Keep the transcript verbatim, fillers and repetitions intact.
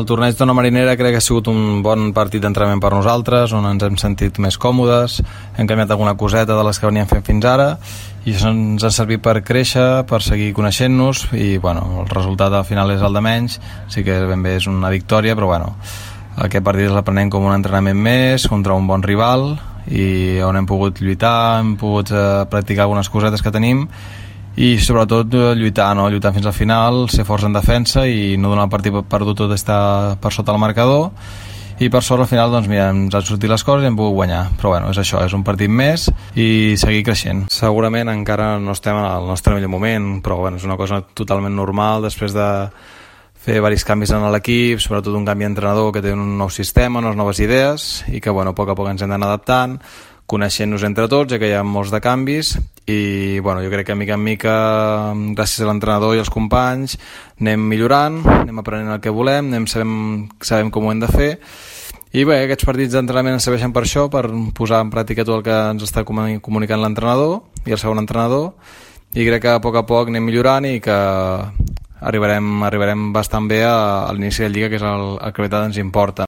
El torneig d'Ona Marinera crec que ha sigut un bon partit d'entrenament per nosaltres, on ens hem sentit més còmodes, hem canviat alguna coseta de les que veníem fent fins ara i això ens ha servit per créixer, per seguir coneixent-nos i bueno, el resultat al final és el de menys, sí que ben bé és una victòria, però bueno, aquest partit l'aprenem com un entrenament més contra un bon rival i on hem pogut lluitar, hem pogut eh, practicar algunes cosetes que tenim i sobretot lluitar, no? Lluitar fins al final, ser forts en defensa i no donar el partit perdut tot estar per sota el marcador i per sort al final doncs mira, ens han sortit les coses i hem pogut guanyar, però bueno, és això, és un partit més i seguir creixent. Segurament encara no estem en el nostre millor moment, però bueno, és una cosa totalment normal després de fer diversos canvis en l'equip, sobretot un canvi d'entrenador que té un nou sistema, unes noves idees i que bueno, a poc a poc ens hem d'anar adaptant, coneixent-nos entre tots, ja que hi ha molts de canvis i bueno, jo crec que mica en mica gràcies a l'entrenador i els companys anem millorant, anem aprenent el que volem, anem sabem, sabem com ho hem de fer i bé, aquests partits d'entrenament ens serveixen per això, per posar en pràctica tot el que ens està comunicant l'entrenador i el segon entrenador i crec que a poc a poc anem millorant i que arribarem, arribarem bastant bé a, a l'inici de Lliga, que és el, el que ens importa.